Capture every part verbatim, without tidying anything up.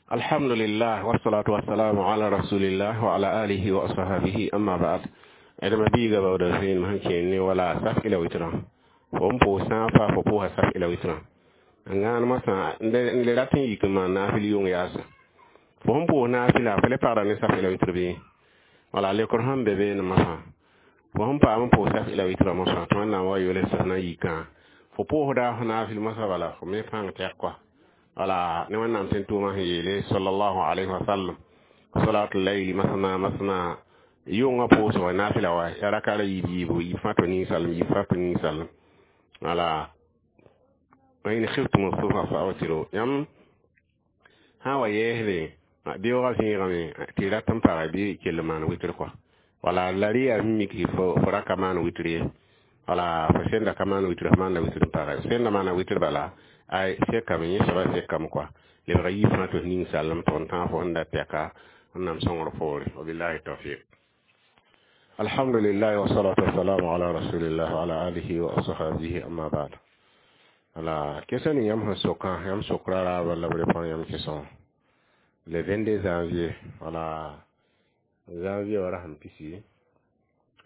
Alhamdulillah, wassalatu wassalamu ala rasulillah wa ala alihi wa ashabihi, amma ba'd. Adama biiga bawda zẽenem sẽn kẽer ne wala saf ila witrã fo n pʋʋs sã n fa fo pʋʋsa saf ila witrã n gãan mosã n le rat n yik n maan naafɩl yʋng yaasa fo sẽn pʋʋs naafɩla fo le pagda ne saf ila witr bɩ wala lekr sẽn be beene mosã fo sẽn paam n pʋʋs saf ila witrã mosã tɩ Wẽnnaam wa yols sẽn na n yikã fo pʋʋsda f naafɩl mosã bala fo me pãng tɛk kɔa wala ne Wẽnnaam tẽn tʋʋmã sẽn yeele sallallahu alayhi wa sallam salatul layli masna masna yʋngã pʋʋsg naafɩla wa ya raka la yiib yiibu yiib fãa to ninsalem yiib fãa to ninsalem wala wa in khiftum subha fa awtiru yãmb sã wa yɛɛsde beoogã zẽegame tɩ rat n pagɛ bɩ kell maan witr kɔa wala la rɩ yaa mik tɩ fo ra ka maan witr ye wala fo sẽnda ka maan witr fo maanda witr n pagɛ sẽnda maana witr bala ay sekame yẽ soaba sekame kɔa lebga yiib fãa tɩ f ning salem tɩ n tãag fo sẽn da tɛka Wẽnnaam sõngr poore. Wabillahi tawfiq. Alhamdulillah, wassalatu wassalamu ala rasulillah wa ala alihi wa ashabihi, amma ba'd. Wala question ni yãmb sẽn sokã yãmb sokra raaba la b répondre yãmb question le vingt-deux janvier, wala janvier wã rasem pisi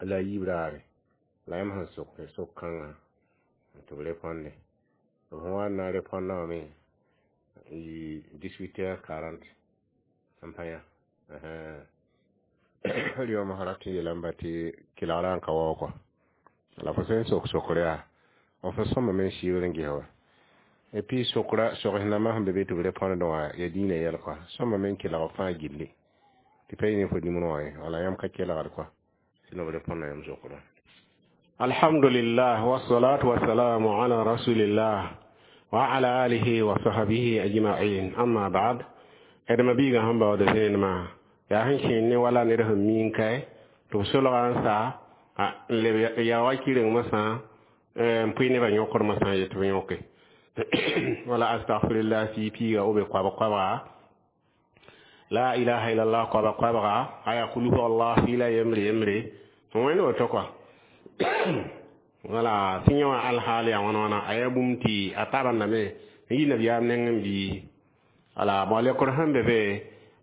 la yiib raare la yãmb sẽn sok sok kãngã tɩ b répondre b sẽn wa n na n répondã wã me yɩ dix-huit heures quarante n pa yã rɩoom rat n yeelame tɩ kelgrã n ka waoog kɔa la fo sẽn sok sokr yaa f sẽn sõmame n sɩɩbr n ges wa et puis sokra sogs nambã sẽn be be tɩ b répondre wã ya dĩinã yɛl kɔa sõmame n kelg fãa gilli tɩ pa yɩ ne fo nimr wã ye wala yãmb ka kelgd kɔa sẽn b répondã yãmb sokra. Alhamdulillah, wassalatu wassalamu ala rasulillah wa ala alihi wa sahbihi ajma'in, amma ba'd. Adama biiga sẽn baood zẽenemã yaa sẽn kẽer ne wala ned sẽn miin kae tɩ b solga n sa n leb ya wa kɩreng mosã n pʋɩ nebã yõkd mosã yet tɩ b yõke wala astagfirullah sii piiga b koabg koabga la ilaha illallah koabg koabga aya kul huwa allah fɩɩla yembre yembre wẽnd woto kɔa wala tɩ yẽ wã alhaal yaa wãna wãna a yaa bũmb tɩ a tabendame n yi nabiyaam nengẽ bɩ wala bõ lekr sẽn be be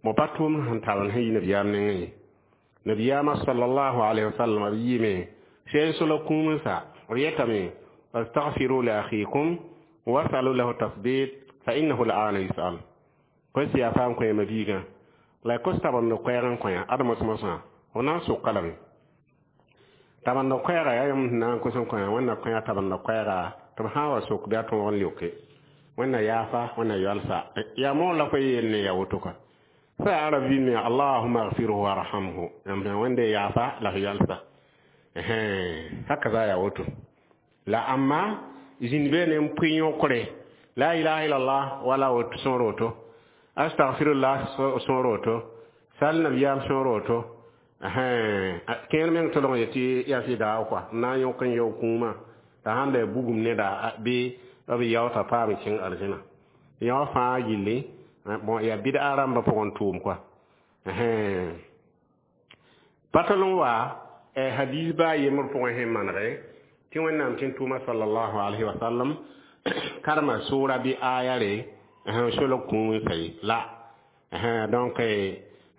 bõ pa tʋʋm sẽn tabend sẽn yi nabiyaam nengẽ ye nabiyaamã sallallahu alayhi wa sallam b yɩɩme sẽn sola kũum n sa b yetame astaghfiru li akhikum wasalu lahu tasbit fa innahu al'ana yus'al kos yaa faam koɛɛmã biigã la kos tabend koɛɛg n kõ ad mos-mosã f na n soka lame tabend koɛɛga yaa yãmb sẽn na n kos n kõ Wẽnna kõ tabend koɛɛga tɩ b sã n wa sok bɩ a tõog n leoke Wẽnna yaafa Wẽnna yoalsa yaa moor la fo yeel ne ya woto kɔa sa yaa rabbi me allahumma ighfirhu warhamhu yãmb Wẽnde yaafa la f yoalsa haka za yaa woto la amma zĩnd beene n pʋɩ yõkre la ilaha illallah wala woto sõor woto astaghfirullah sõor woto sal nabiyaam sõor woto kẽer meng tolg yetɩ yaa sɩda kɔa n na n yõk n yao kũumã t'a sãn la bugum neda bɩ b yaoota paam kẽng arzẽna yõ fãa gilli bon yaa bɩd-a rãmbã pʋgẽ tʋʋm kɔa pa tol n wa hadis baa yembr pʋgẽ sẽn manege tɩ Wẽnnaam tẽn tʋʋma sallallahu alayhi wa sallam karema sʋʋra bɩ aya re n solg kũum n sa ye la donc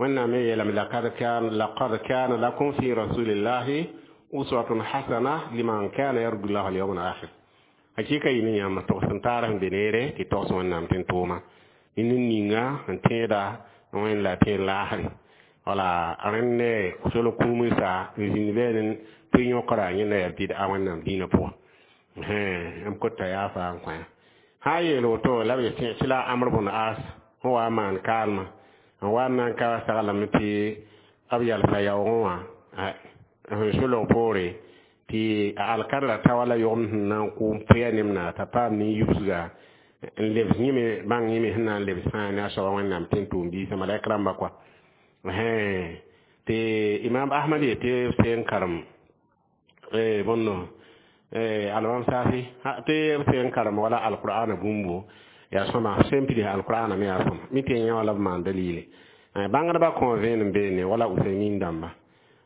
Wẽnnaam me yeelame laqad kana laqad kana lakum fi rasulillahi uswatun hasana liman kana yarju llah wal yawm al akhir hakika yɩ ne yãmb togs n taar sẽn be neere tɩ togs Wẽnnaam tẽn tʋʋma ne ninga n tẽeda Wẽnd la tẽed laasre wala rẽnd ne solg kũum n sa n zĩnd beene pʋɩ yõkra yẽnda yaa bɩd-a Wẽnnaam dĩinã pʋgã m kota yaa faa n kõ sã n yeel woto la b tɩ la Amr bn As sẽn wa n maan kaalmã n wa n na n ka saglame tɩ b yalsa yaoogẽ wã sẽn solg poore tɩ a alkadra ta wala yogem sẽn na n kʋ n pʋya nemna t'a paam nin-yubsga n lebs yẽme bãng yẽme sẽn na n lebs fãa ne a soaba Wẽnnaam tẽn tʋʋm-biisã malɛk rãmba kɔa tɩ Imam Ahmad yetɩ b seen karem bõndo alimam Safi tɩ b seen karem wala alqur'ana bũmbo yaa sõma sẽn pids alqur'ana me yaa sõma mi tɩ yẽ wala b maan dalile bãngdbã kõ vẽenem beene wala Usaymin dãmba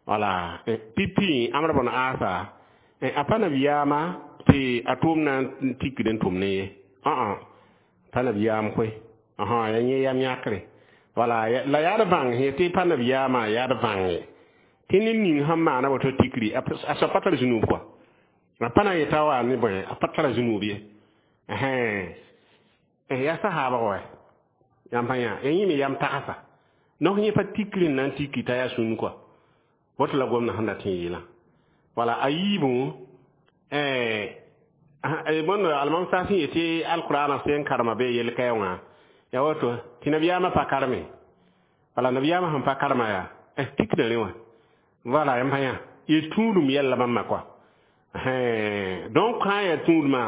wala pipi Amr bn Asa a pa nabiyaamã tɩ a tʋʋm na n tikd n tʋm ne ye ã pa nabiyaam koe yaa yẽ yam yãkre. Wala la yaa d bãng sẽ tɩ pa nabiyaamã yaa d bãnge tɩ ned ning sẽn maana woto tikri a soab pa tar zũnub kɔa a pa na n yeta wa ne bõe a pa tara zũnub ye yaa sahaabg wa yãmb pa yã ya yẽ me yam tagsa donc yẽ pa tikri n na n tiki t'a yaa sũnn kɔa woto la gomdã sẽn dat n yeelã wala a yiibẽ bõnd almam sã sẽn yetɩ alqurana sẽn karema bee yel-kaɛ wã ya woto tɩ nabiyaamã pa kareme wala nabiyaamã sẽn pa karema yaa tikda rẽ wã voilà yãmb pa yã y tũudum yɛlla bãmba kɔa donc sã n yaa tũudmã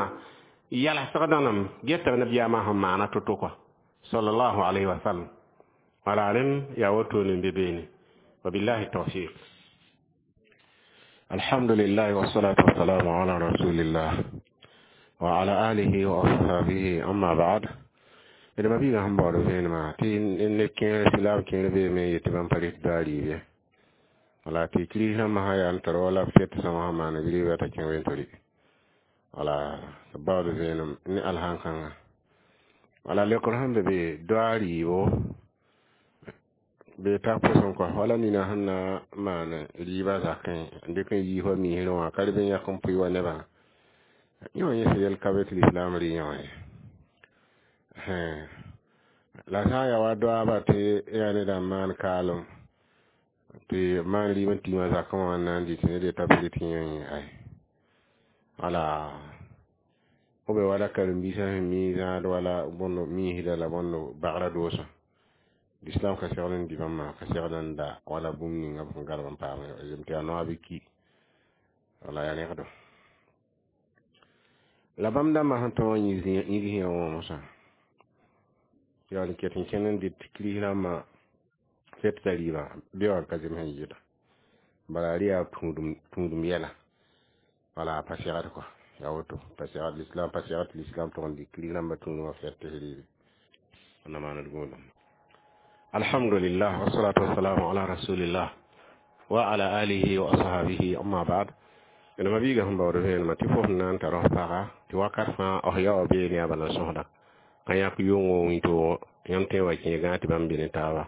yalsg dãnem geta nabiyaamã sẽn maana to-to kɔa sallallahu alayhi wa sallam wala rẽnd yaa wotone n be beene wabillahi tawfiq الحمد لله والصلاة والسلام على رسول الله وعلى آله وأصحابه أما بعد d ma-biigã sẽn baood vẽenemã tɩ neb kẽer silaam kẽer beeme n yet tɩ bãmb pa rɩt doa rɩɩb ye wala tɩ kirist rãmbã sã yaa n tar wala b fet sõma sẽn maan b rɩɩbã t'a kẽ wẽn-to-rɩ wala b baood vẽenem ne alhãn-kãngã wala leokr sẽn be be doa rɩɩbo be ta pʋsẽ kɔa wala nina sẽn na n maan rɩɩbã zakẽ n dɩk n yiis wa miisrẽ wã ka reb n yãk n pʋɩ wa nebã yẽ wã yẽ sẽn yɛl ka be tɩ lislaam rɩ yẽ wã ye la sã n yaa wa doaaba tɩ yaa neda n maan kaalem tɩ maan rɩɩb n tigmã zakẽ wã n na n dɩ tɩ ned yeta b rɩt yẽ yẽ ay wala b be wala karen-biisã sẽn mi zãad wala bõnd miisda la bõnd bagrã doosã l'islam ka segl n dɩ bãmba ka segl n da wala bũmb ninga b sẽn garb n paam tɩ yaa noab ki wala yaa rẽgdo la bãmb dãmbã sẽn tõog n yĩgs yã wã mosã yaa n ket n kẽnd n dɩt kirist rãmbã fetda rɩɩbã be wã n ka zems n yɩɩda bala rɩ yaa tũudum yɛla wala pa segd kɔa yaa woto pa segd l'islam pa segd tɩ l'islam tʋg n dɩk kirist rãmbã tũudumã fet tɩ rɩɩbe na maand gũudum الحمد لله والصلاة والسلام على رسول الله وعلى آله وأصحابه أما بعد d ma-biigã sẽn baood vẽenemã tɩ fo sẽn na n tar f paga tɩ wakat fãa f yaoog beene yaa bala sõsda ka yãk yʋngo wĩntoog yãmb tõe wa kẽe gãag tɩ bãmb be ne taaba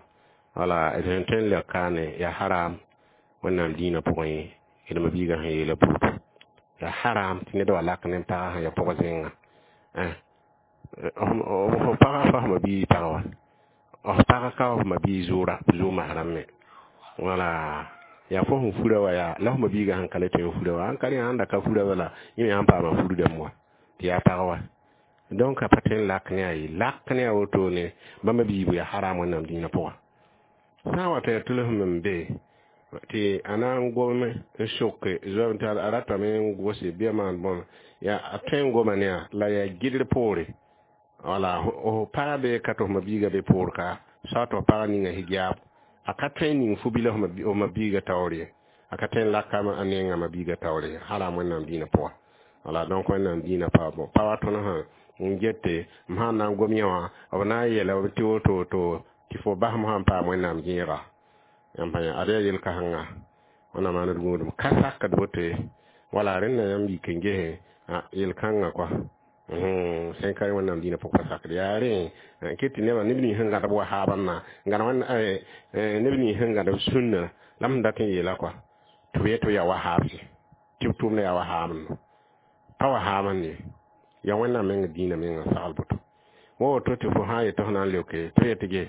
wala d sẽn tõe n lɛk kaane yaa haram wẽnnaam dĩinã pʋgẽ ye d ma-biigã sẽn yeela puutu yaa haram tɩ ned wa lak ne pagã sẽn ya pʋg zẽnga f pagã fa f ma-biig pag wa f pag ka f ma-biig zʋʋra zʋʋ masrãm me wala yaa fo sẽn fura wa yaa la f ma-biigã sẽn ka le tõe n fura wa sãn ka rẽ sãn da ka fura bala yẽ me sãn paama furdame wa tɩ yaa pag wa donc a pa tõe n lak ne a ye lak ne a wotone bãmba biibu yaa haram wẽnnaam dĩinã pʋga sã n wa tɩ ya tʋls m be tɩ a na n gom n soke zoab tɩ a ratame n gose bɩa maan bõn yaa a tõe n goma ne a la yaa gɩdr poore wala f paga be ka tɩ f ma-biigã be poor ka soa tɩ f paga ninga hijaab a ka tõe n ning fu-bila f ma-biigã taoor ye a ka tõe n laka a nenga ma-biigã taoor ye haram wẽnnaam dĩinã pʋga wala donc wẽnnaam dĩinã pa bõ pa wa tõnd sã n gete m sãn na n gom yẽ wã b na n yeela tɩ woto woto tɩ fo basem sãn paam wẽnnaam gẽega yãmb pa yã ad yaa yel-kãsengã wẽnnaam maand gũudum ka sakd woto ye wala rẽnda yãmb yik n gesẽ yel-kãngã kɔa sẽn ka wẽnnaam dĩinã pʋg pa sakd yaa rẽ ket tɩ nebã neb nins sẽn gãd b wahaabãmba gãd neb nins sẽn gãd b sũnna la m sẽn dat n yeela kɔa tɩ b yet tɩ b yaa wahaabse tɩ b tʋʋmdã yaa wahaabendo pa wahaabend ye yaa wẽnnaam meng dĩinã meng n sagl boto wa woto tɩ fo sã n yet tɩ f na n leoke tɩ yet tɩ ge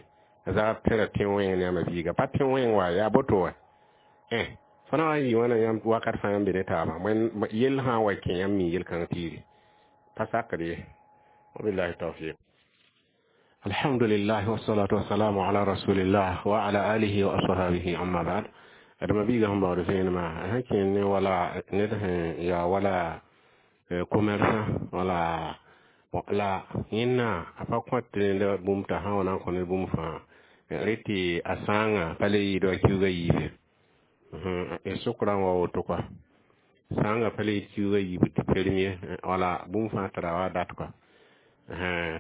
zag tẽra tẽ wẽng ne a ma-biiga pa tẽ wẽng wa yaa boto wa fo na wa n yɩ wãna yãmb wakat fãa yãmb be ne taabã yell sã n wa kẽ yãmb mi yel-kãng tiiri pa sakd ye wabillahi tawfiq الحمد لله والصلاة والسلام على رسول الله وعلى آله وأصحابه أما بعد d ma-biigã sẽn baood vẽenemã sẽn kẽ ne wala ned sẽn yaa wala commerçant wala la yẽnna a pa kõt ned bũmb t'a sã n wa na n kõ ned bũmb fãa rɩ tɩ a sãangã pa le yɩɩd wa kiuugã yiibe y sʋkrã n wa woto kɔa sãangã pa le yɩɩd kiuugã yiib tɩ perem ye wala bũmb fãa tara wa dat kɔa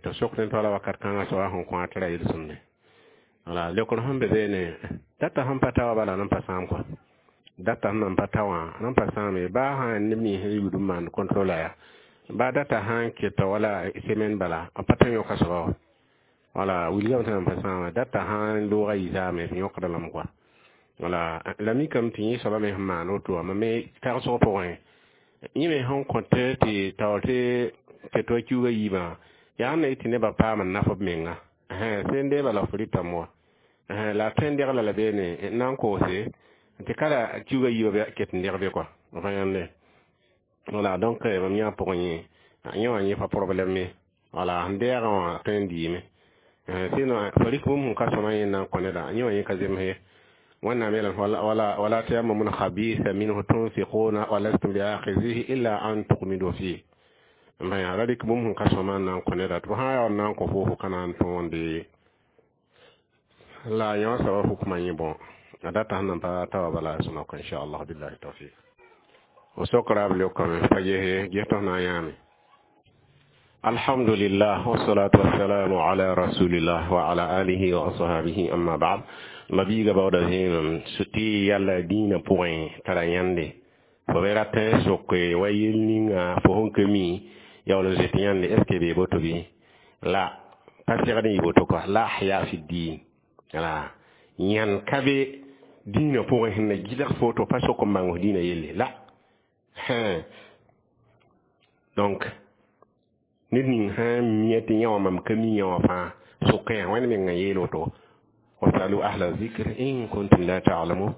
tɩ sok ned wala wakat kãngã soaba sẽn kõ a tɩ ra yel-sõmde wala leokr sẽn be beene data sẽn pa ta wa bala nan pa sãam kɔa data sẽn nan pa ta wã nan pa sãame baa sã neb nins sẽn yud n maand contrôle ya baa data sã n keta wala semaine bala b pa tõe n yõka soaba wa Wala wilgame tɩ nan pa sãama data sã n looga yisaame tɩ yõkda lame kɔa. Wala la mikame tɩ yẽ soaba me sẽn maan woto wã mam me tagsg pʋgẽ yẽ me sẽn kõt tɩ taoor tɩ tɩ to kiuugã yiibã yaa sẽn na yɩ tɩ nebã paam n naf b menga sẽn deeba la f rɩtame wa la a tõe n degla la beene n na n koose tɩ ka la kiuugã yiibã ket n deg be kɔa f yãnde. Wala donc mam yã pʋgẽ yẽ yẽ wã yẽ pa problème ye. Wala sẽn deegã wã tõe n dɩɩme, sinon fo rɩk bũmb sẽn ka sõma yẽ n na n kõ neda yẽ wã yẽ ka zems ye. Wẽnnaam yeelame wala wala tayammamu lkhabitha minhu tunfiquna wa lastum biakhizihi illa an tughmidu fihi. N ra rɩk bũmb sẽn ka sõma n na n kõ neda tɩ f sã n yaa n na n kõ fo fo ka na n tõende la yẽ wã soaba hukmã yẽ bõ a data sẽn nan pa ta wa bala sõma kõ inchallah billahi tawfik. O sokra b leokame pa gese ges tɩ f na n yãame. Alhamdulillah wassalatu wassalamu ala rasulillah wa ala alihi wa ashabihi amma ba'd. Mabiiga baooda zẽenem tɩ yalla dĩinã pʋgẽ tara yãnde fo be rat n soke wa yel ninga fo sẽn ka mi yaool n zoet yãnde est ce que bee boto bɩ la pa segd n yɩ boto kɔa la ahya fi din la yãnd ka be dĩinã pʋgẽ sẽn na gɩlg fo tɩ pa sok n bãng f dĩinã yelle la. Donc ned ning sã n mia tɩ yã wã mam ka mi yã wã fãa sokẽ yaa wẽnd meng n yeel woto wasalu ahla zikr in kuntum la ta'lamun.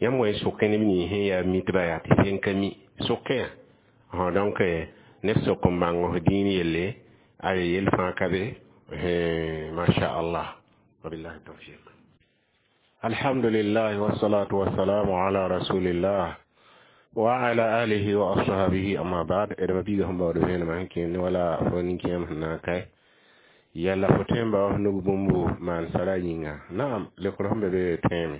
Yãmb wa sokẽ neb nins sẽn yaa mitba yaa tɩ sẽn ka mi sokẽ yaa. Donc ned sok n bãng f dĩin yelle ay yel fãa ka be masha Allah wabillahi tawfiq. Alhamdulillah wassalatu wassalamu ala rasulillah wa ala alihi wa ashabihi amma ba'd. D mabiiga sẽn baood vẽenemã sẽn kẽend wala fo nin-kẽem sẽn na n kae yalla fo tõe n bao f nug bũmbu maan sara yĩnga naam lekr sẽn be be tõeme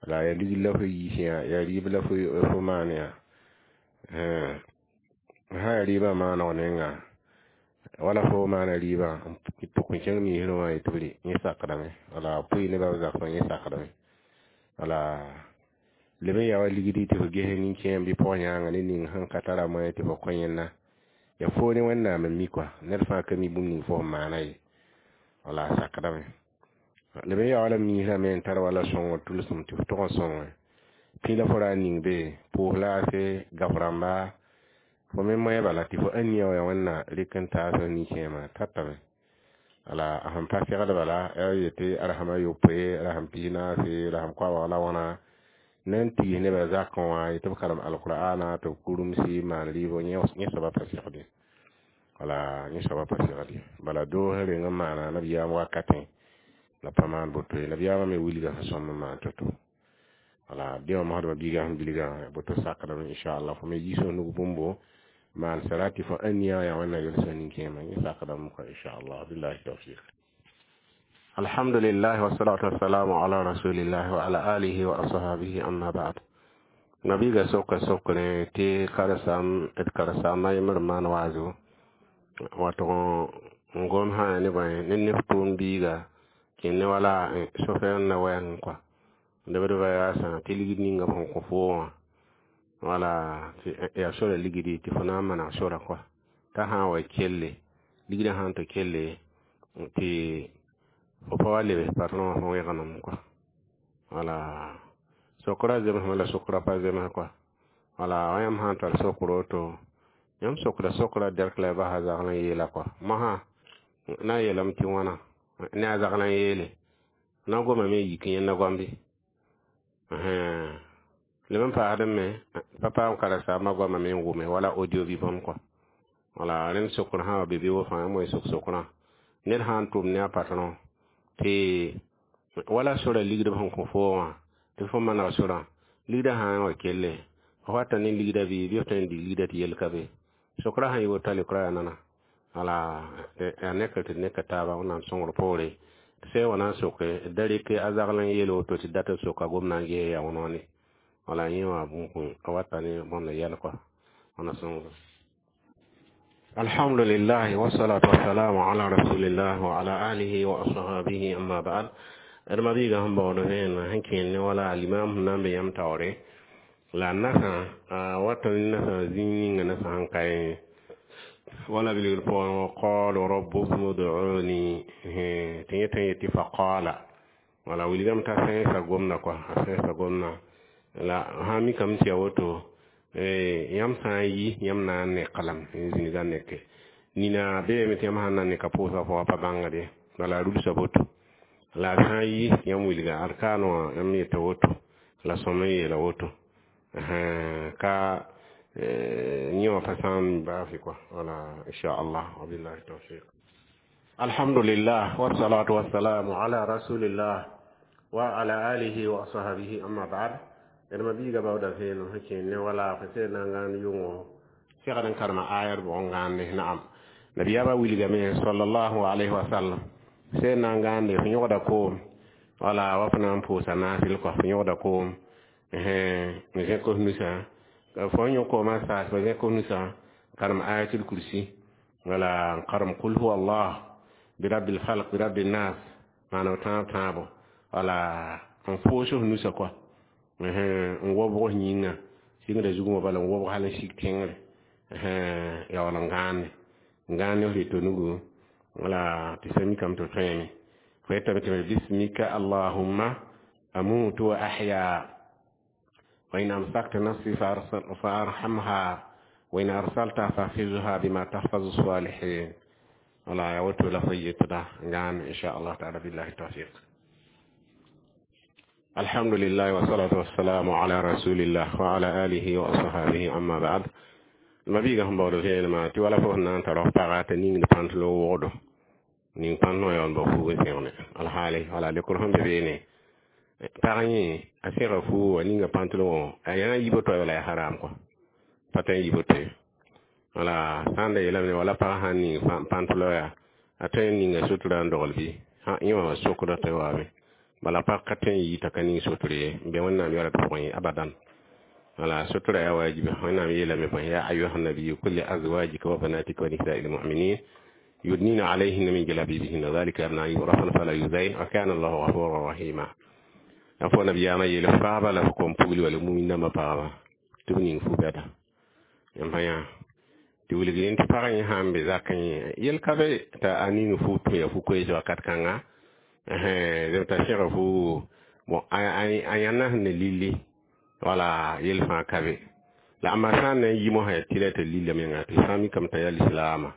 la ya ligd la fo yiis yã ya rɩɩb la fo maan yã sã ya rɩɩbã maaneg nenga wala fo maana rɩɩbã n tʋk n kẽng miisrẽ wã yetɩ b rɩ yẽ sakdame wala pʋɩ nebã b zagsã yẽ sakdame wala leb n yaa wa ligdi tɩ fo ges nin-kẽem bɩ pʋg-yãanga ne ning sẽn ka tara moyen tɩ fo kõ yẽnna ya foo ne Wẽnnaam n mi kɔa ned fãa ka mi bũmb ning fo sẽn maana ye wala a sakdame leb n yaa wala miisrã me n tar wala sõngr tʋlsem tɩ f tʋg n sõnge pĩ la fo ra n ning be pʋʋs laase gaf rãmba fo me moẽ bala tɩ fo ãn nia wã yaa Wẽnna rɩk n taas f nin-kẽemã tatame wala a sẽn pa segd bala ya yetɩ rasem a yopoe rasem pis-naase rasem koabg la wãna na n tigis nebã zakẽ wã yetɩ b karem alqur'ana tɩ b kurumsi maan rɩɩbo yẽ soaba pa segd ye wala yẽ soaba pa segd ye bala doos reng n maana nabiyaam wakatẽ la pa maan boto ye nabiyaamã me wilga sẽn sõm n maan to-to wala dẽ wã mosdmã biigã sẽn bilgã boto sakdame inchallah fo me yiis f nug bũmbo maan sara tɩ fo ãn nia wã yaa Wẽnna yels nin-kẽemã yẽ sakdame kɔ inchallah billahi tawfiq. Alhamdulillah wassalatu wassalamu ala rasulillah wa ala alihi wa ashabihi amma ba'd. Nabiga soka sokre tɩ karsam d karsaamã yembr n maan waazo wato n gom sã ne bõe ne neb tʋʋm biiga kẽnd ne wala sofɛr n na wɛɛng kɔa lebdbã yaasã tɩ ligd ninga b sẽn kõ foo wã wala yaa sora ligdi tɩ fo na n maneg sora kɔa t'a sã n wa kelle ligdã sã n tɩ kelle tɩ fo pa wa lebs patron wã fõ wẽgenam kɔa wala sokra zemsme la sokra pa zems kɔa wala yãmb sã n tar sokr woto yãmb sokda sokra dɛrk la y basa zagl n yeela kɔa mosã na n yeelame tɩ wãna ne a zagl n yeele na gomame n yik yẽnda goambe leb n paasdẽ me pa paam karen-saambã goamã me n wʋme wala audio bɩ bõmb kɔa wala rẽnd sokr sã wa be bɩ wo fãa yãmb wa sok sokrã ned sã n tʋm ne a patron tɩ wala sora ligd b sẽn kõ foo wã tɩ fo maneg sorã ligdã sã n wa kelle fo wata ne ligdã bɩ bɩ f tõe n dig ligdã tɩ yel ka be sokra sã n yɩ woto a leokra yaa nana wala yaa nekr tɩ d neka taaba Wẽnnaam sõngr poore tɩ sã wa na n soke da rɩk a zagl n yeel woto tɩ dat n soka gomdã n ges yaa wãn-wãne wala yẽ wã bũmb a wata ne bõnd yɛl kɔa wãna sõngr. Alhamdulillah wassalatu wassalamu ala rasulillah wa ala alihi wa ashabihi amma ba'd. D mabiiga sẽn baood vẽenemã sẽn kẽend ne wala limam sẽn na n be yãmb taoore la nasã a wata ne nasã zĩig ninga nasã sẽn ka Wala bilgr pʋgẽ qala rabbukum ud'uni tɩ yẽ tõe n yetɩ faqala wala wilgame t'a sẽnsa gomda kɔa a sẽnsa gomda la sã n mikame tɩ ya woto yãmb sã n yi yãmb na n neka lame n zĩniga neke nina beeme tɩ yãmb sãn na n neka pʋʋsga pʋgã pa bãngd ye bala a rulsa boto la a sã n yi yãmb wilga ad kaane wã yãmb yeta woto la sõm n yeela woto ka yẽ wã pa sãam baase kɔa wala inchallah wabillahi tawfiq alhamdulillah wassalatu wassalamu ala rasulillah wa ala alihi wa ashabihi amma ba'd d ma biiga baooda vẽenem sẽn kẽer ne wala fo sẽn na n gãand yʋngo segd n karema ayad bʋg n gãande naam nabiyaamã wilgame sallallahu alayhi wa sallam sẽn na n gãande fo yõgda koom wala wa fo na n pʋʋsa naasɩl kɔa fo yõgda koom n zẽk f nusã fo n yõ koomã saas fo zẽk f nusã karem ayatul kursi wala n karem kul huwa allah birabbil falq birabbil nas maana tãab tãabo wala n foos f nusã kɔa n wobg f yĩnga sɩngda zugmã bala n wobg hal n sik tẽngre ya wala n gãande n gãande f rɩtɔ nugu wala tɩ sã mikame tɩ tõeme fo yetame tɩ bismika allahumma amutu wa ahya wa in amsakta nafsi fa arhamha wa in arsalta fahfizha bima tahfazu salihin wala ya woto la fo yetda ngam insha Allah taala billahi tawfiq alhamdulillah wa salatu wassalamu ala rasulillah wa ala alihi wa ashabihi amma ba'd ma biiga sẽn baood vẽenemã tɩ wala fo sẽn na n tar f paga t'a ningd pãntelo wogdo ning pãntõ yaool ba fuug n sẽgne alhaali wala lekr sẽn be beene pag yẽ a sẽga fuuga ninga pãntelo wã a yã yibo toa wala yaa haram kɔa pa tõe n yibo toe wala sã n da yeelame wala pag sã n ning pãntelo yaa a tõe n ninga sutura n dogl bɩ yẽ wã sokda tɩ waame bala pag ka tõe n yi t'a ka ning sotr ye n be wẽnnaam yara d pʋgẽ ye abadan wala sutura ya wajibi wẽnnaam yeelame bõe ya ayuha nabiyu kul li azwajika wa banatika wa nisa'i lmuminin yudnina alayhinna min jalabibihinna dhalika adna an yurafna fala yuzain wa kana allahu ghafuran rahima a fo nabiyaamã yeel faaba la f kom pugli wala mumin-dãmbã pagba tɩ b ning fu-bɛda yãmb yã tɩ wilg yẽ tɩ pag yẽ sã n be zakẽ yẽ yel ka be t'a a ning fu tɩ ya fu-koees wakat kãnga t'a sẽga fu bon a yãnna sẽn ne lilli wala yel fãa ka be la amma sã n na n yi mosã yaa tɩ la t'a lilla menga tɩ sã n mikame t'a yaa lislaama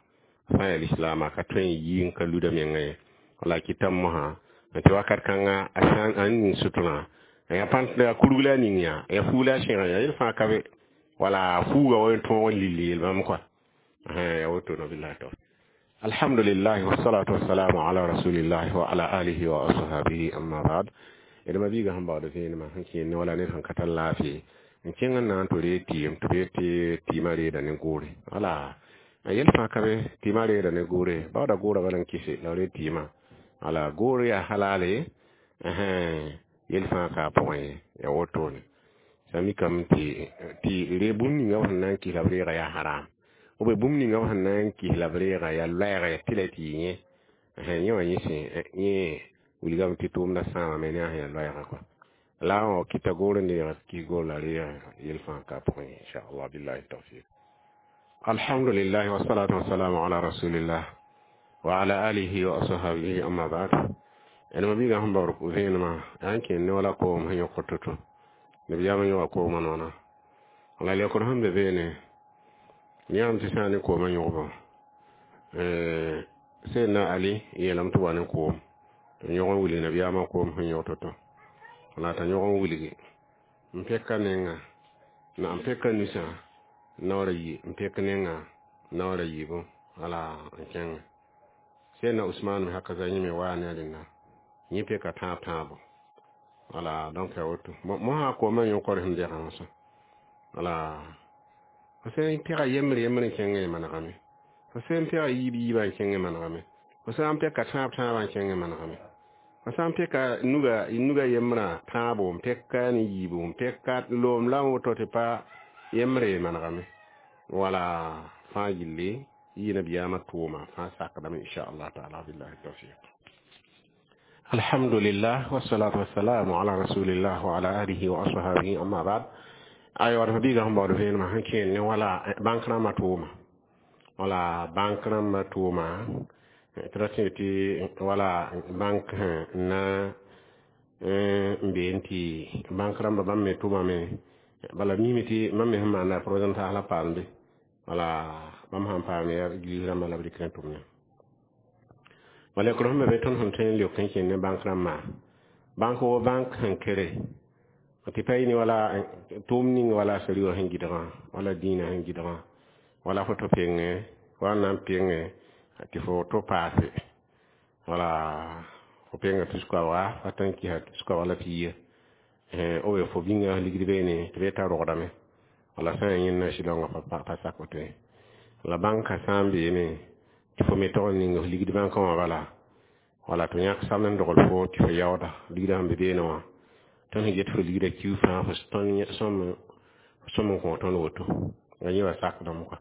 sã n yaa lislaama ka tõe n yi n ka luda menga ye wala kɩtame mosã tɩ wakat kãnga a sã n ning suturã ya pãnt a kurg la a ning yaa ya fuug la a sẽga yaa yel fãa ka be wala fuuga wa n tõog n lilli yel bãmb kɔa ya woto no billahi tawfiq alhamdulillah wassalatu wassalamu ala rasulillah wa ala alihi wa ashabihi amma ba'd d ma biiga sẽn baood vẽenemã sẽn kẽer ne wala ned sẽn ka tar laafɩ n kẽng n na n tɩ reeg tɩɩm tɩ b yet tɩ tɩɩmã reeda ne goore wala a yel fãa ka be tɩɩmã reeda ne goore baooda goorã bala n kɩse la b reeg tɩɩmã wala goor yaa halale yel fãa ka a pʋgẽ ye ya wotone sã mikame tɩ tɩ re bũmb ninga b sẽn na n kɩs la b reega yaa haram ou bien bũmb ninga b sẽn na n kɩs la b reega yaa loɛɛga yaa tɩ la tɩ yɩ yẽ yẽ wã yẽ sẽn yẽ wilgame tɩ tʋʋmdã sãamame ne a sẽn yaa loɛɛga kɔa la a wã kɩta goor n deega kɩs goor la reega yel fãa ka a pʋgẽ inchallah billahi tawfiq alhamdulillah wassalatu wassalamu ala rasulillah wa ala alihi wa ashabihi amma ba'd d ma biiga sẽn baood vẽenemã yaa n kẽer ne wala koom sẽn yõkd to-to nabiyaamã yõga koomã noona la lekr sẽn be beene yãmb tɩ sã n ne koomã yõgbo Seydina Ali yeelame tɩ wa ne koom tɩ yõg n wilg nabiyaamã koom sẽn yõg to-to la t'a yõg n wilgi n peka nenga na n peka nusã naoor a yi n pek nenga naoor a yiibu wala n kẽnge Seydina Usman me haka za yẽ me waa ne a rẽnda yẽ peka tãab tãabo wala donc ya woto mosã koomã yõkr sẽn degã wã sã wala fo sã n pega yembre yembre n kẽng n manegame fo sã n pega yiib yiibã n kẽng n manegame fo sã n peka tãab tãabã n kẽng n manegame fo sã n peka nuga nuga yembrã tãabo n peka ne yiibu n peka loom la woto tɩ pa yembre manegame wala fãa gilli yɩ nabiyaamã tʋʋma fãa sakdame inchallah taala billahi tawfiq alhamdulillah wassalatu wassalamu ala rasulillah wa ala alihi wa ashabihi amma ba'd aywa d biiga sẽn baood vẽenemã sẽn kẽer ne wala bãnk rãmbã tʋʋma Wala bãnk rãmbã tʋʋma tɩ ra tẽ tɩ wala bãnk na n been tɩ bãnk rãmbã bãmb me tʋmame bala mime tɩ mam me sẽn maanda prozen taas la paamde wala bãmb sãn paam yaa église rãmbã la b rɩk n tʋmne wala leokr sẽn be be tõnd sẽn tõe n leok n kẽnd ne bãnk rãmbã bãnk wo bãnk sẽn kere tɩ pa yɩ wala tʋʋm ning wala sari wã sẽn gɩdgã wala dĩinã sẽn gɩdgã wala fo tɩ penge wa n na n penge tɩ fo to paase wala fo penga tus-koabga fa tõe n kɩsa tus-koabga la piiga o be fo bĩnga ligd beene tɩ be t'a rogdame wala sã n yaa yẽnda sɩlongã pa sak woto ye la bãnkã sã n beene tɩ fo me tog n ning f ligd bãnkã wã bala wala tɩ yãk samd n dogl fo tɩ fo yaooda ligdã sẽn be beene wã tõnd sẽn get fo ligdã kiu fãa fo sõm n kõ tõnd woto la yẽ wã sakdame kɔa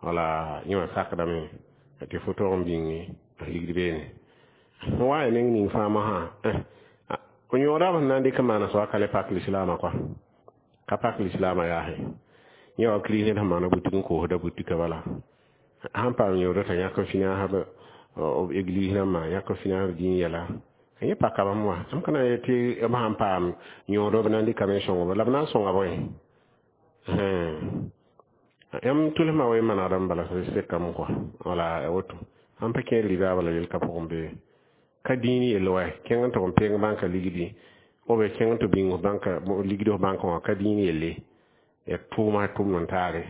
wala yẽ wã sakdame tɩ fo tog n bĩnge f ligd beene n wa ya neng ning fãa mosã f yõoda b sẽn na n dɩk n maana soaba ka le pak lislaamã kɔa ka pak lislaamã yaase yẽ wa kirist ned sẽn maana butik n koosda butikã bala sãn paam yõoda t'a yãk n finãasb b église rãmbã yãk n finãasb dĩin yɛla yẽ paka bãmb wã m ka na n yet tɩ b sãn paam yõodo b na n dɩkame n sõng la b na n sõnga bõe yãmb tʋlsmã wa manegdame bala sekame kɔa wala woto sãn pa kẽer riba bala yel ka pʋgẽ bee ka dĩin yell wa kẽng n tʋg n peng bãnka ligdi b kẽng n tɩ bĩng bãnka ligd f bãnkã wã ka dĩin yelle ya tʋʋma tʋmd n taare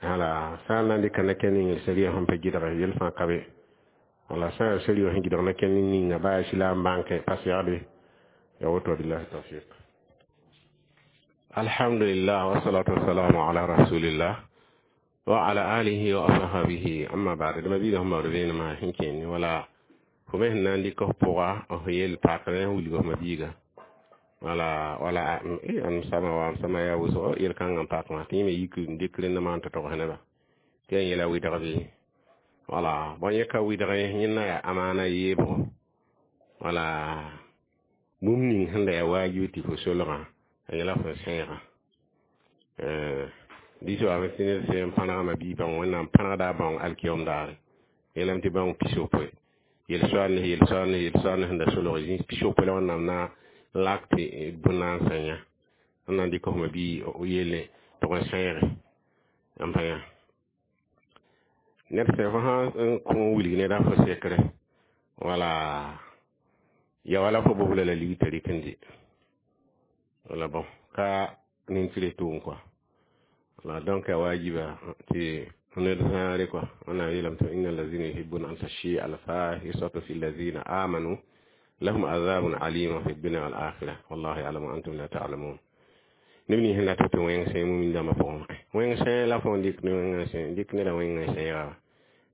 wala sã n na n dɩka na-kẽnd ning saria sẽn pa gɩdge yel fãa ka be wala sã n yaa saria sẽn gɩdg na-kẽnd ninga baa silaam bãnkẽ pa segde ya woto billahi tawfiq alhamdulillah wassalatu wassalamu ala rasulillah wa ala alihi wa ashabihi amma ba'd dama biiga sẽn baood vẽenemã sẽn kẽnd wala fo me sẽn na n dɩk f pʋga f yel pakr n wilg f ma-biiga wala wala am sama wa am sama yaa wʋsgo yel-kãngã n pak wã tɩ yẽ me yik n dɩk rẽndã maan tɩ togs neba tɩ yaa yẽla wɩdg bɩ wala bõe yẽ ka wɩdg ye yẽnda yaa amaana yeebgo wala bũmb ning sẽn da yaa waajib tɩ fo solgã a yẽla fo sẽegã dɩs wa tɩ ned sẽn pãnegmã bii bãong wẽnnaam pãnegda a bãong alkiom daare yeelame tɩ bãong pis-yopoe yel-soaal ne yel-soaal ne yel-soaal ne sẽn da solg zĩis pis-yopoe la wẽnnaam na n lak tɩ bõe na n sã yã n na n dɩk fma bii yelle tʋg n sẽege n pa yã ned sẽn fo sã n kõ wilg neda fo sekre wala ya wala fo bobla la lig t'a rɩk n dɩ wala bon ka nin-tɩ tʋʋm kɔa wala donc a wajiba tɩ ned zãare kɔa wẽnnaam yeelame tɩ inna allazina yuhibbuna an tashia alfahisatu fi allazina amanu lahum azabun alima fi dunya wal akhirah wallahu ya'lamu antum la ta'lamun neb nins sẽn dat tɩ wẽng sẽe mumin dãmbã pʋgẽ wẽng sẽe la fo n dɩk ne wẽngã sẽe dɩk neda wẽngã sẽega wa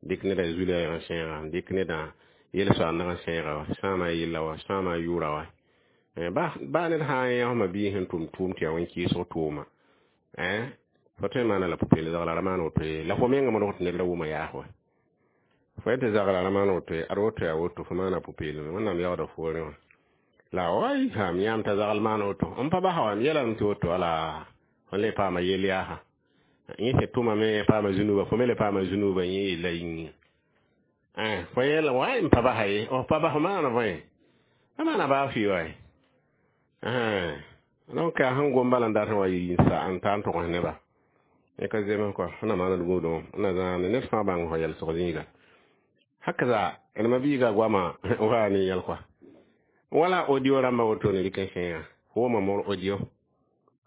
dɩk neda zulɛɛgã sẽega dɩk neda yel-soaandgã sẽega wa sãama yella wa sãama yʋʋra wa baa ned sã n yãsma bii sẽn tʋm tʋʋm tɩ yaa wẽn-kɩɩsg tʋʋma fo tõe n maana la pʋ-peel zagla ra maan woto ye la fo menga modg tɩ ned ra wʋma yaas wa fo yetɩ zagla ra maan woto ye ad woto yaa woto fo maana pʋ-peelme wẽnnaam yaooda foorẽ wã la way ham yãam t'a zagl maan woto n pa basa wa m yeelame tɩ woto wala fo le paama yel yaasa yẽ sẽn tʋmame paama zũnuba fo me le paama zũnuba yẽ yella yĩnga fo yeel way n pa basa ye f pa bas maana bõe a maana baa fɩ wa donc a sẽn gom bala n dat n wa yɩ sa n ta n togs neba yẽ ka zems kɔa sẽn na maand gũudẽ na zãane ned fãa bãng fo yɛlsg zĩiga hakaza d ma-biiga goama wa ne yɛl kɔa wala audio rãmba woto ne rɩk n sẽega wʋma mor audio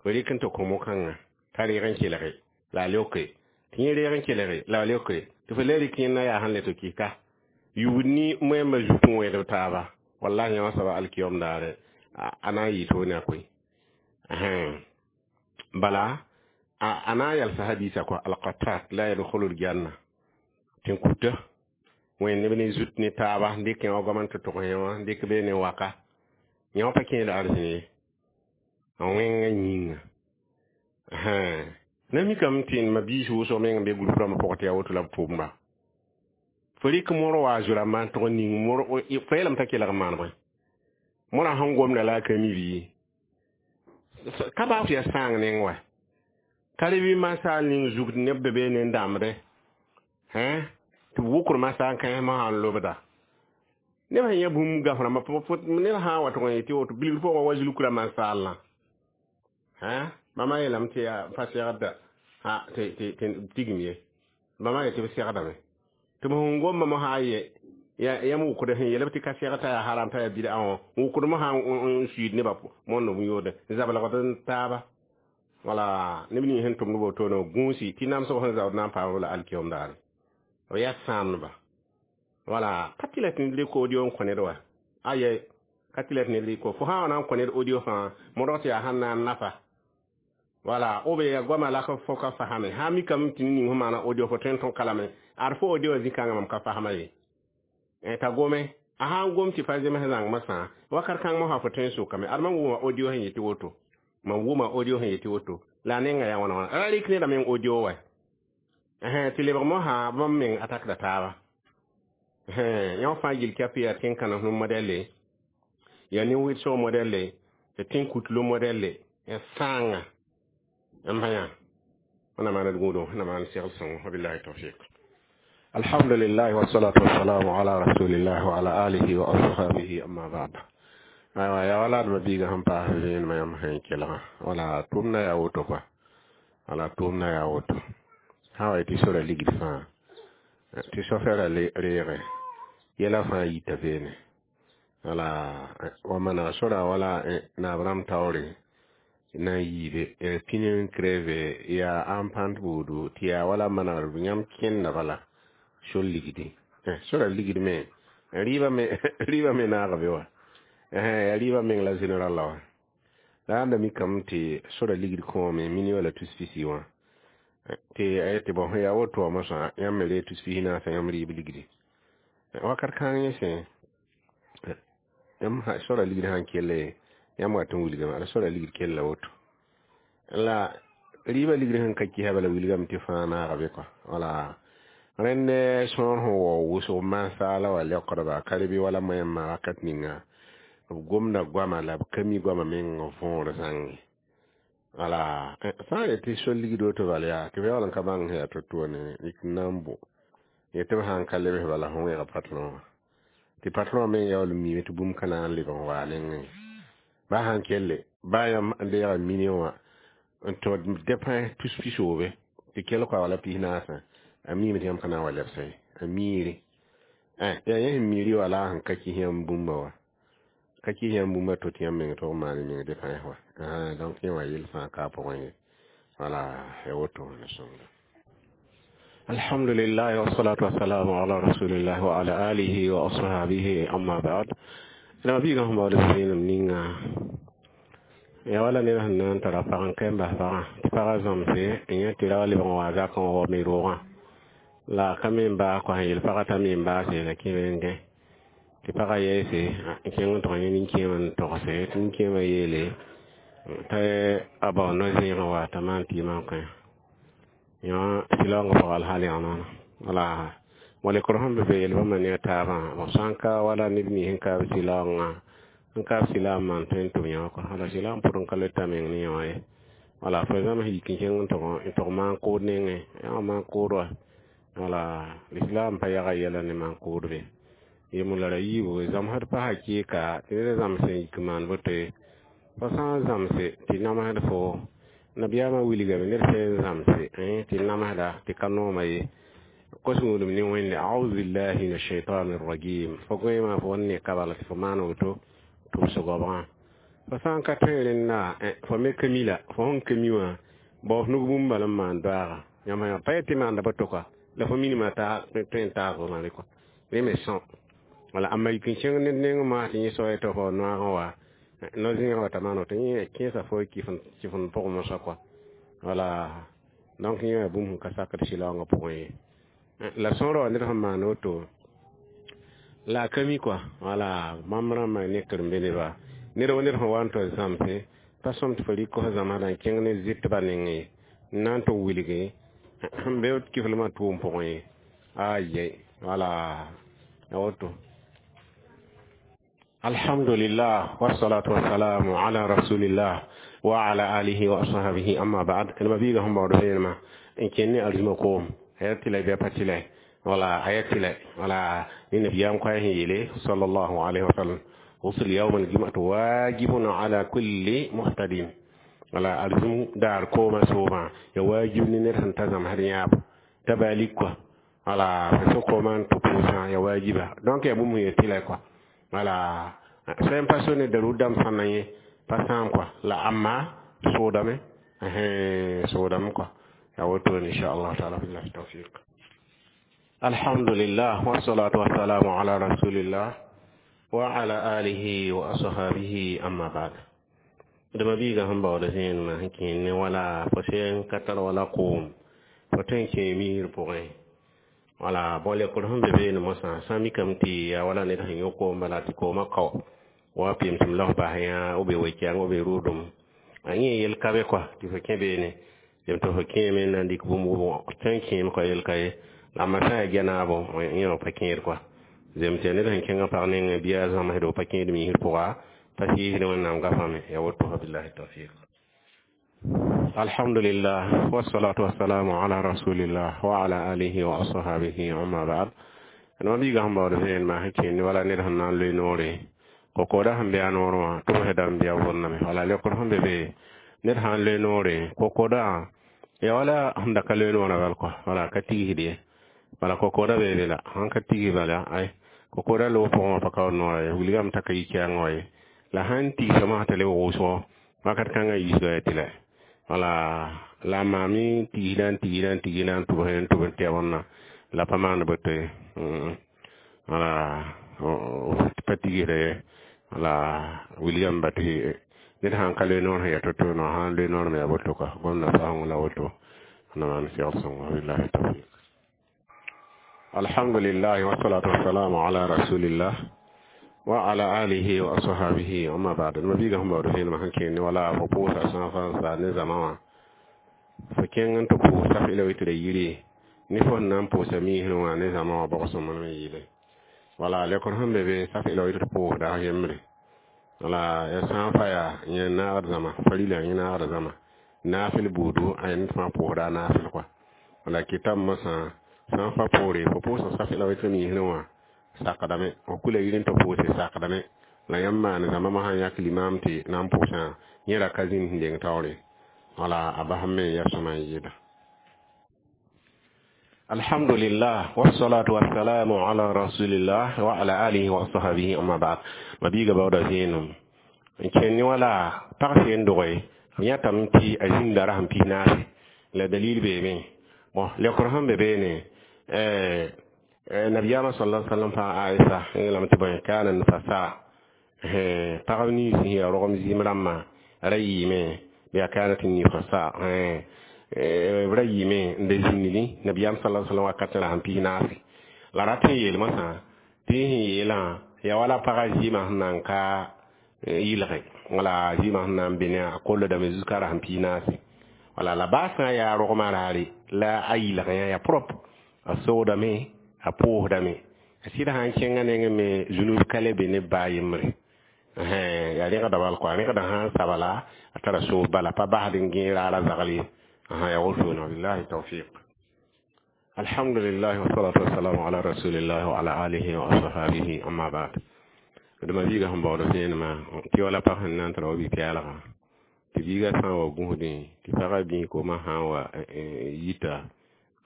fo rɩk n tɩ kõ mo-kãngã t'a reeg n kelge la a leoke tɩ yẽ reeg n kelge la a leoke tɩ fo le rɩk yẽnda yaa sẽn le tɩ kɩka yugd ni moẽmbã zut n wẽedb taaba wallahi yã wã soaba alkiyom daare a na n yɩ toone a koe bala a na n yalsa hadisa kɔa alqatat la yadkhulu aljanna tɩ n kuta wẽnd neb ne zut ne taaba n dɩk yã wa goam n tɩ tʋgs yã wã n dɩk bee ne waka yã wã pa kẽed arzẽn ye a wẽngã yĩnga na mikame tɩ ma biis wʋsg meng n be group rãmbã pʋgẽ tɩ yaa woto la b tʋʋmda fo rɩk mor wa a rãmbã n tʋg n ning mor fo yeelame t'a kelg n maan bõe morã sẽn gomda la a ka mi bɩ ka baa fo yaa sãang neng wa ka re bɩ masaal ning zugd neb be bee ne n dãmbdẽ Hein tɩ b wʋkr masã n kães mosã n lobda neb sẽn yã bũmb gaf rãmbã ned sã n wa tʋg n yetɩ woto bilgr pʋgã wa zulkra mansaalã hein bãmba yeelame tɩ yaa pa segda tɩ tigim ye bãmba yetɩ b segdame tɩ b sẽn gomma mosã ye yãmb wʋkd sẽn yeel b tɩ ka segd t'a yaa haram t'a yaa bid'a wã wʋkd mosã n suiid nebã mondo b yoode n zablgd n taaba wala neb ning sẽn tʋmd wotone gũusi tɩ namsg sẽn zaood na n paam la alkiom daare b yaa sãamdba wala ka tɩ la tɩ ned rɩk audio n kõ ned wa aye ka tɩ la tɩ ned rɩk fo sã wa na n kõ ned audio fãa modg tɩ yaa sãn na n nafa wala o be ya goama la fo ka fasame sã mikame tɩ ning fo maana audio fo tõe n tõk kalame ad fo audio wã zĩ-kãngã mam ka fasma ye t'a gome a sã n gom tɩ pa zems zãng sã wakat kãng mosã fo tõe n sokame ad mam wʋma audio sẽn yetɩ woto mam wʋma audio sẽn yetɩ woto la a nenga yaa wãna wãna ra rɩk nedã meng audio wa tɩ lebg mosã bãmb meng a takda taaba yõ fãa yil kɛp yaa tẽn-kãnem modɛle yaa nin-wɩdsg modɛle tɩ tẽn-kutlo modɛle ya sãanga n bã yã wẽnnaam maan d gũudum wẽnnaam maan segl sõngo wabillahi tawfiq alhamdulillah wassalatu wassalamu ala rasulillah wa ala alihi wa ashabihi amma ba'd aywa ya wala d mabiiga sẽn paas vẽenemã yãmb sẽn kelgã wala tʋʋmdã yaa woto koa wala tʋʋmdã yaa woto sã wa tɩ sora ligd fãa tɩ sofɛɛrã reege yɛla fãa yita beene wala wa maneg sora wala naab rãmb taoore na n yiibe pĩn n creve yaa ãn pãnt buudu tɩ yaa wala manegr yãmb kẽnda bala sor ligdi sora ligd me rɩɩbã me rɩɩbã me naaga be wa yaa rɩɩbã meng la général la wa la ãnda mikame tɩ sora ligd kõome mini wala tus pisi wã tɩ a yetɩ bõ yaa woto wã mosã yãmb me ree tus pis naasã yãmb rɩɩb ligdi wakat kãng yẽ sẽ yãmb sora ligd sãn kell yãmb wat n wilgame ala sora ligd kella woto la rɩɩbã ligd sẽn ka kɩsa bala wilgame tɩ fãa naaga be kɔa wala rẽnd sõor sẽn wao wʋsg masaala wa leokdba ka re bɩ wala moẽmã wakat ninga b gomda goama la b ka mi goama meng võor zãnge wala sã n yetɩ sol ligd woto bala yaa tɩ b yaool n ka bãng sẽn yaa to-to ne yik n na n bʋ yetɩ b sãn ka lebs bala fõ wẽega patron wã tɩ patron wã meng yaool n miime tɩ bũmb ka na n leb n waa nengẽ ba sãn kelle ba yãmb n deega million wã n tõ dépens tus pisoobe tɩ kell koa wala pis naasã a miime tɩ yãmb ka na n wa lebsa ye a miire yaa yẽ sẽn miiri wala a sẽn ka kis yãmb bũmba wa ka kis yãmb bũmba to tɩ yãmb meng tʋg n maan meng dépens wa donc yẽ wã yell fãa ka a pʋgẽ ye wala ya woto na sõngda alhamdulillah wassalatu wassalamu ala rasulillah wa ala alihi wa ashabihi amma ba'd la biiga sẽn baood vẽenem ninga ya wala ned sẽn na n tara pag n ka n bas pagã tɩ pagã zãmse n yẽ tɩ ra wa lebg n wa zakã n waoome roogã la ka me n baas kɔa sẽn yel pagã t'a me n baase la kẽ wẽngẽ tɩ pagã yɛɛse n kẽng n tʋg yẽ nin-kẽemã n togse tɩ nin-kẽemã yeele t'a a bao no-zẽegã wa t'a maan tɩ man kõ yõ sɩlaoongã pʋgã alhaal yãg wala walekr sẽn be be yel bãmba ne a taabã b sã n ka wala neb nins sẽn kaab sɩlaoongã n kaab sɩlaam maan tõe n tʋm yõ wala sɩlaam pʋd n ka le ta meng ne yõ ye wala fo zãms yik n kẽng n tʋg n tʋg maan-kʋʋd nengẽ yã maan kʋʋd wa wala lislaam pa yaga yɛla ne maan-kʋʋd be yemb la ra yiibu zãmsd pasa kɩɩka tɩ ned zãms n yik n maan boto ye fo sã n zãmse tɩ namsd fo nabiyaamã wilgame ned sẽn zãmse tɩ namsda tɩ ka nooma ye kos gũudum ne wẽnde auzu billahi min ashaitani rrajim fo goẽemã fo ne ka bala tɩ fo maan woto tɩ b sʋgobgã fo sã n ka tõe rẽnda fo me ka mi la fo sẽn ka mi wã bao f nug bũmb bala n maan doaaga yãmb yã pa yetɩ maanda boto kɔa la fo minimã tõe n taas fo mane kɔa rẽ me sõ wala ãmba yik n kẽng ned neng maa tɩ yẽ soa tɩ fo noaagã wa no-zẽegã wa t'a maan woto yẽ kẽesa fo kɩf n pʋg mosã kɔa wala donc yẽ yaa bũmb sẽn ka sakd sɩlaoongã pʋgẽ ye la sõor wa ned sẽn maan woto la a ka mi kɔa wala bãmb rãmbã ne karen-be neba ned wa ned sẽn wa n tɩ zãmse pa sõm tɩ fo rɩk fo zãmsdã n kẽng ne zɩtbã nengẽ ye n na n tɩ wilge n be kiflmã tʋʋm pʋgẽ ye aye wala ya woto alhamdulillah wassalatu wassalamu ala rasulillah wa ala alihi wa ashabihi amma ba'd ma biiga sẽn baood vẽenemã n kẽnd ne arzima koom ya tɩ la bɩa pa tɩ la Wala ayatila wala ni nabiyam ko yele sallallahu alaihi wasallam غسل يوم الجمعة واجب على كل محتدين wala alzum dar koma soma ya wajib ni ner sẽn ta zãmsd yãab t'a balik quoi wala fo so kooma n tɩ pʋʋsã ya wajiba donc ya bũmb sẽn yet tɩ la quoi wala sã n pa so ne darur dãmb sãn na yẽ pa sãam quoi la amma soodame soodame quoi ya woto inchallah taala billahi tawfiq alhamdulillah wassalatu wassalamu ala rasulillah wa ala alihi wa ashabihi amma ba'd dama biiga sẽn baood zẽenemã sẽn kẽ ne wala fo sẽn ka tar wala koom fo tõe n kẽ miisr pʋgẽ wala bõ lekr sẽn be beene mosã sã n mikame tɩ yaa wala ned sẽn yõ koom bala tɩ koomã kao wa pemsem la f bas yã b be we-kɛɛng b be rʋʋdem a yẽ yel ka be kɔa tɩ fo kẽ beene yem tɩ fo kẽeme n na n dɩk bũmb tõe n kẽem kɔa yel ka ye la amma sã n yaa gɛnaabo yẽ pa kẽed kɔa zem tɩ ned sẽn kẽngã pag nengẽ bɩ a zãmsdo pa kẽed miisr pʋga pa sɩɩsd wẽnnaam gafame ya woto billahi tawfiq alhamdulillah wassalatu wassalamu ala rasulillah wa ala alihi wa ashabihi amma ba'd no biiga sẽn baood vẽenemã sẽn kẽnd wala ned sẽn na n loe noore kokoda sẽn be a noorẽ wã tʋbsã dãmb bɩ a vʋrname wala lekr sẽn be be ned sã n loe noore kokoda ya wala sẽn da ka loe noorã bal kɔa wala ka tigsd ye wala kokoda bee be la sãn ka tigs bala ay kokoda loog pʋgẽ wã pa kaood noorã ye wilgame t'a ka yi kɛɛngã wa ye la sãn tigsame t'a leb wʋsgo wakat kãngã yiisga ya tɩ la wala la a maame tigsda n tigsda n tigsda n tʋbs n tʋb n tɩ wẽnna la pa maan boto ye wala pa tigsda ye wala wilgame ba tɩ ned sãn ka loe noor sẽn yaa to-to no sãn loe noor me yaa boto ka gomda faoong la woto na maan segd sõngo billahi tawfiq alhamdulillah wassalatu wassalamu ala rasulillah wa ala alihi wa ashabihi amma ba'd ma biga hum ba'd hin ma hanke ni wala fo pʋʋsa sã fãa sa ne zama wã fo kẽng n tɩ pʋʋsa f ila tɩ da yiri ne fo sẽn na n pʋʋsa miisr wã ne zama wã bog sõm me yɩle wala lekr sẽn be be saf ila tɩ pʋʋsda f yembre wala ya sã n fa yaa yẽ naagd zãma farila yẽ naagd zãma naafɩl buudu a yẽnd fãa pʋʋsda a naafɩl kɔa wala kɩtame mosã sã n fa poore fo pʋʋsa saf ila tɩ miisr wã sakdame f kula yir n tɩ pʋʋse sakdame la yãmb maan zãma mosã n yãk limam tɩ na n pʋʋsã yẽ ra ka zĩnd sẽn deng taoore wala a basam me n ya sõma n yɩɩda alhamdulillah wassalatu wassalamu ala rasulillah wa ala alihi wa ashabihi amma ba'd ma biiga baooda zẽenem n kẽnd ne wala pag seen doge yãtame tɩ a zĩnda ra sẽn pis naase la dalil beeme bon lekr sẽn be beene nabiyama sallallahu alaihi wasallam pa aisha lame tɩ bõe kana nufasa pagb nins sẽn yaa rogem zɩɩm rãmbã ra yɩɩme bɩ a kanat nifasa b ra yɩɩme n da zĩndẽ nabiyam sallallahu alaihi wasallam wakat ra sẽn pis naase la rat n yeel mosã tɩ sẽn yeelã yaa wala pagã zɩɩmã sẽn na n ka yɩlge wala zɩɩmã sẽn na n be ne a kolldame zuka ra sẽn pis naase wala la baa sã n yaa rogmã raare la a yɩlgẽ yaa propre a sogdame a pʋʋsdame a sɩd sã n kẽngã nengẽ me zunub ka le be ne baa yembre yaa rẽgda bal kɔa rẽgda sã n sabala a tara soos bala pa basd n gẽe raara zagl ye yaa wotone billahi tawfiq alhamdulillah wassalatu wassalamu ala rasulillah wa ala alihi wa ashabihi amma ba'd dama biiga sẽn baood vẽenemã tɩ wala pag sẽn na n tara wa bi-pɛɛlgã tɩ biiga sã n wa gũsdẽ tɩ pagã bĩig koomã sã n wa yita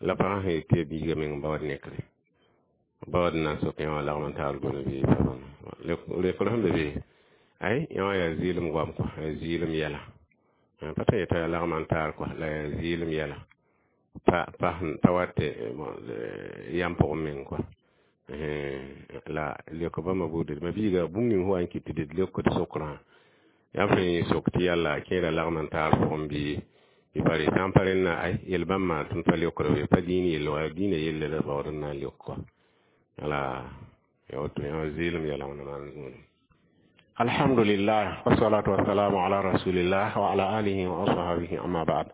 la pagã sẽn yet tɩ ya biiga meng baood nekre baood n na n sok yã wã lagm n taar gone bɩ pa bãna lekr sẽn be be ay yã wã yaa zɩɩlem goam kɔa yaa zɩɩlem yɛla pa tɩ yeta yaa lagm n taar kɔa la yaa zɩɩlem yɛla pa pa pa wat tɩ yãmb pʋgẽ meng kɔa la lek bãmba buud ma biiga bũmb ning sẽn wa n kɩt tɩ d leokd sokrã yãmb sẽn sok tɩ yalla kẽera lagm n taar pʋgẽ bɩ bɩ pa re sã n pa rẽnna ay yel bãmb maan tõnd pa leokd be pa dĩin yell wa dĩinã yelle la baood n na n leok kɔa wala ya woto yã zɩɩlem yɛla wẽna maan zũudum alhamdulillah wassalatu wassalamu ala rasulillah wa ala alihi wa ashabihi amma ba'd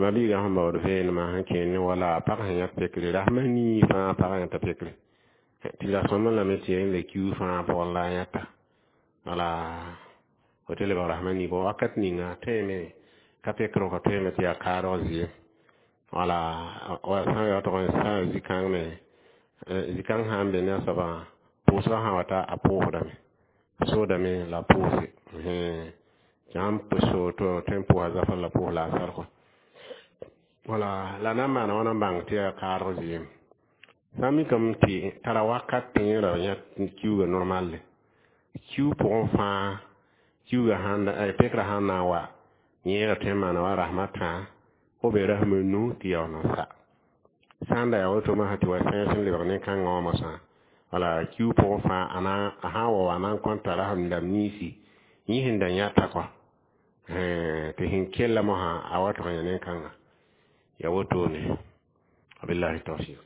ma biiga sẽn baood vẽenemã sẽn kẽend ne wala pag sẽn yãk pekre rasmã nii fãa pagã yãta pekre tɩ la sõma lame tɩ ya la kiu fãa pʋgẽ la a yãta wala fo tɩ lebg rasmã nii bõ wakat ninga tõeme ka pekr ka tõeme tɩ yaa kaadg zɩɩm wala sã n yaootg n sã n zĩ-kãng me zikãng sã n be ne a soabã pʋʋsgã sã wa ta a pʋʋsdame soodame la a pʋʋse tɩ sãn so tɩ tõe n pʋʋsa zafã la pʋʋs la asar kɔ wala la na n maana wãna n bãng tɩ yaa kaadg zɩɩm sã n mikame tɩ tara wakat tɩ yẽ ra yã kiuga normal kiu pʋgẽ fãa kiuga sãn pekrã sãn na n wa yẽ ra tõe n maana wa rasem a tã fo be rasem a nu tɩ yaool n sa sã n da yaa woto mosã tɩ wa sẽes n lebg nin-kãngã wã mosã wala kiu pʋgẽ fãa a sã n wa wa na n kõn tara sẽn lam niisi yẽ sẽn da yãta kɔ tɩ sẽn kella mosã a wa tʋg n yã nin-kãnga ya wotone wabillahi tawfiq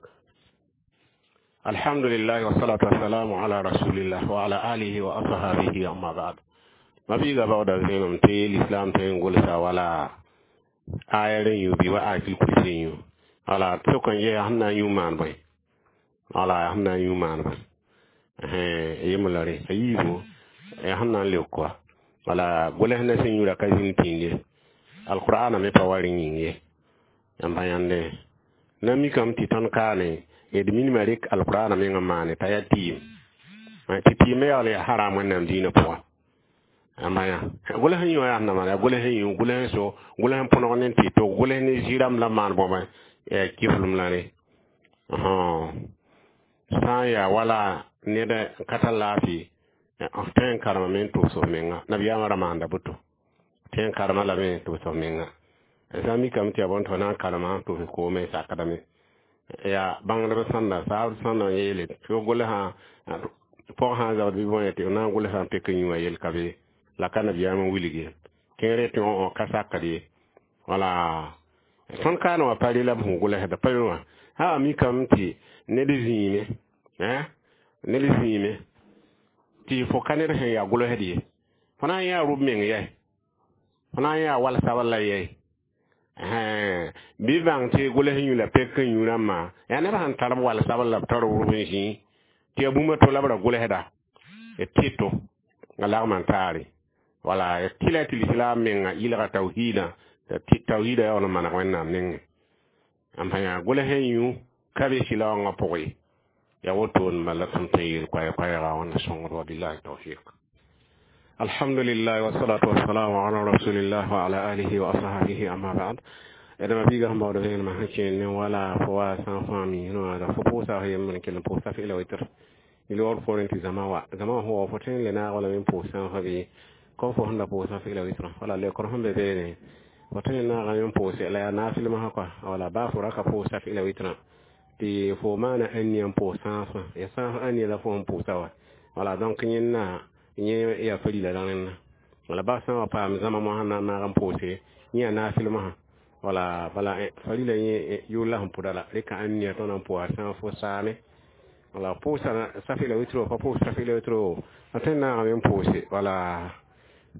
alhamdulillah wassalatu wassalamu ala rasulillah wa ala alihi wa ashabihi amma ba'd mabiiga baoodã vẽenem tɩ l'islam tõe n gʋlsa wala aya rẽ yũ bɩ wa ayatul kursi yũ wala sok n yɛa sẽn na n yũ maan bõe wala sẽn na n yũ maan bõe yembr la rẽ a yiibu sẽn na n leok wa wala gʋls ne sẽn yũra ka zĩnd pĩnd ye alqur'ana me pa wa rẽ yĩng ye yãmb yãnde na mikame tɩ tõnd kaane d minimã rek alqur'ana meng n maane t'a yaa tɩɩm tɩ tɩɩm me yaool yaa haram wẽnnaam dĩinã pʋgã ãmba yã gʋls n yũ yaa sẽn na maan yaa gʋls n yũ gʋls n so gʋls n põneg ne tɩ to gʋls ne zĩ-rãmb la maan bõba kɩflem la rẽ sã n yaa wala ned n ka tar laafɩ f tõe n karemame n tʋbs f menga nabiyaamã ra maanda boto tõe n karema lame n tʋbs f menga sã n mikame tɩ yaa bõn tɩ f na n karema n tʋbs koome n sakdame yaa bãngdb sãnda saab sãnda n yeele tɩ f gʋlsã pɔg sã n zabd bɩ bõe tɩ f na n gʋlsã n pek n yũ wã yel ka be la ka nabiyaam n wilg ye kẽere tɩ wã ka sakd ye wala tõnd kaana wã pa rela b sẽn gʋlsda pa wã sã a mikame tɩ ned zĩime ned zĩime tɩ fo ka ned sẽn yaa gʋlsd ye fo na n yãa rʋb meng yɛ fo na n yãa wal sabl la yɛ bɩ bãng tɩ gʋls yũ la pek n yũ rãmbã yaa neb sẽn tar b wal sabl la b tar b rʋb n zĩ tɩ yaa bũmb to la b ra gʋlsda d tɩto a lagm n taare wala d tɩla tɩ lislaam menga yɩlga tawhiidã tawhiidã yaool n maneg wẽnnaam nengẽ n pa yã gʋls n yũ ka be sɩlaoongã pʋgẽ ya wotone bala tõnd tõe n yeel koɛɛ-koɛɛga wãnda sõngd wa billahi tawfiq alhamdulillah wassalatu wassalamu ala rasulillah wa ala alihi wa ashabihi amma ba'd edama biiga sẽn baood vẽenemã sẽn kẽer ne wala fo wa sã n fãa mi wã fo pʋʋsa f yembr n kell n pʋʋs safi la witr loor poorẽ tɩ zãma wa zãma wã sẽn wa fo tõe n le naag wala me n pʋʋs sãafã bɩ kom fo sẽn da pʋʋs safi la witra wala leokr sẽn be beene fo tõe n naagame n pʋʋse la yaa naafɩl mosã kɔa wala baa fo ra ka pʋʋs safi la witrã tɩ fo maana ãnia n pʋʋs sãafã ya sãaf ãnia la fo sẽn pʋʋsa wa wala donc yẽnna yẽ yaa farila la rẽnna wala baa sã n wa paam zãma mosã na n naag n pʋʋse yẽ yaa naafɩl mosã wala bala farila yẽ yʋʋl la sẽn pʋda la rɩka ãnia tõnd n pʋʋsa sãaf fo saame wala pʋʋsa safi la witro pa pʋʋs safi la witro a tõe n naagame n pʋʋse wala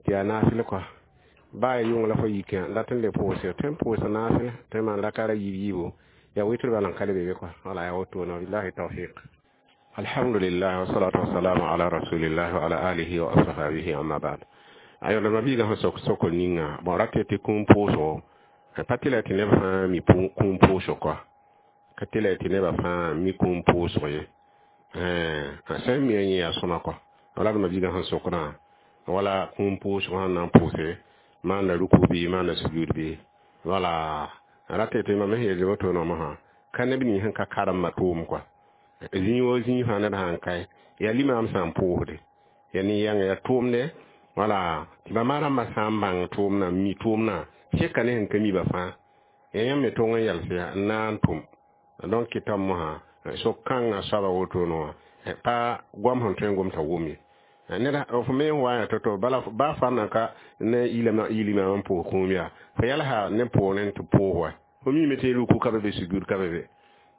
tɩ yaa naafɩl kɔa baa ya yʋng la fo yikã dat n le pʋʋse tõe n pʋʋsa naafɩl tõe n maan rakara yiib yiibo ya witr bala n ka le be be kɔa wala yaa wotone billahi tawfiq alhamdulillah wassalatu wassalamu ala rasulillah wa ala alihi wa ashabihi amma ba'd ayo la mabiiga sẽn sok sokr ninga bon rat tɩ kũum pʋʋsgo pa tɩ la tɩ neb fãa mi kũum pʋʋsg kɔa ka tɩ la tɩ nebã fãa mi kũum pʋʋsg ye sẽn mi yẽ yaa sõma kɔa wala d mabiiga sẽn sokdã wala kũum pʋʋsg sẽn na n pʋʋse maanda ruku bɩ maanda sujud bɩ wala rat tɩ mam sẽn yeel woto mosã ka neb nins sẽn ka karemã tʋʋm kɔa zĩig wo zĩig fãa ned sã n kae yaa limaam sã n pʋʋsde yaa nin-yãnga yaa tʋʋmde wala tɩ bãmba rãmbã sã n bãng tʋʋmdã mi tʋʋmdã seka ne sẽn ka mi ba fãa ya yãmb me tong n yals yaa n na n tʋm donc kɩtame mosã sok-kãngã soaba wotone wã pa goam sẽn tõe n gom t'a wʋm ye ned f me n wa ya to-to bala baa fa na ka ne yilima n pʋʋs kũum yaa fo yalsa ne pʋʋrẽ tɩ pʋʋs wa fo mime tɩ ruku ka be be sujud ka be be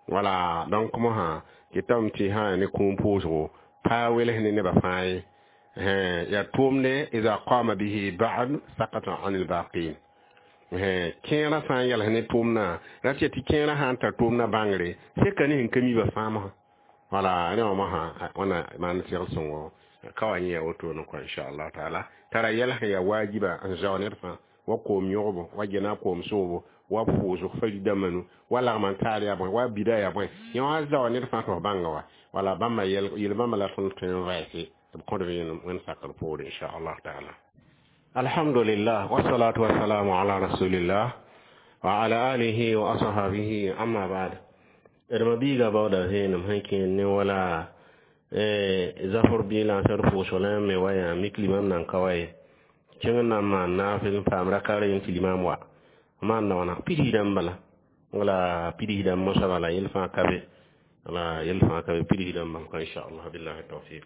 wala donc mosã kɩtame tɩ sã ne kũum pʋʋsgo pa wels ne nebã fãa ye yaa tʋʋmde ida qama bihi ba'd sakata an albaqin kẽerã sã n yals ne tʋʋmdã ra tɩ tɩ kẽerã sã n tar tʋʋmdã bãngre seka ne sẽn ka mi ba fãa mosã wala rẽ wã mosã wãna maan segl sõngo ka wa yẽ yaa wotone kɔa inchallah taala tara yɛls yaa wajiba n zao ned fãa Wa koom yõgbo, wa gena koom soobo, wa pʋʋsg farida manu, wa lagm n taar yaa bõe, wa bida yaa bõe. Yẽ wã zaoa ned fãa tɩ f bãnga wa. Wala bãmba yel bãmba la tõnd tõe n vɛɛse tɩ b kõd vẽenem wẽnd sakr poore, inchallah taala. Alhamdulillah, wassalatu wassalamu ala rasulillah wa ala alihi wa ashabihi, amma ba'd. D ma biiga baooda vẽenem sẽn kẽer ne wala zafr bɩ lansr pʋʋsg la me wa yã mik limam nan ka wa ye kẽng n na n maan naafɩl n paam raka reen tɩ limam wa maan na wãna pidsdã bala wala pidsdã mosã bala yel fãa ka be wala yel fãa ka be pidsdã bala inshallah billahi tawfiq.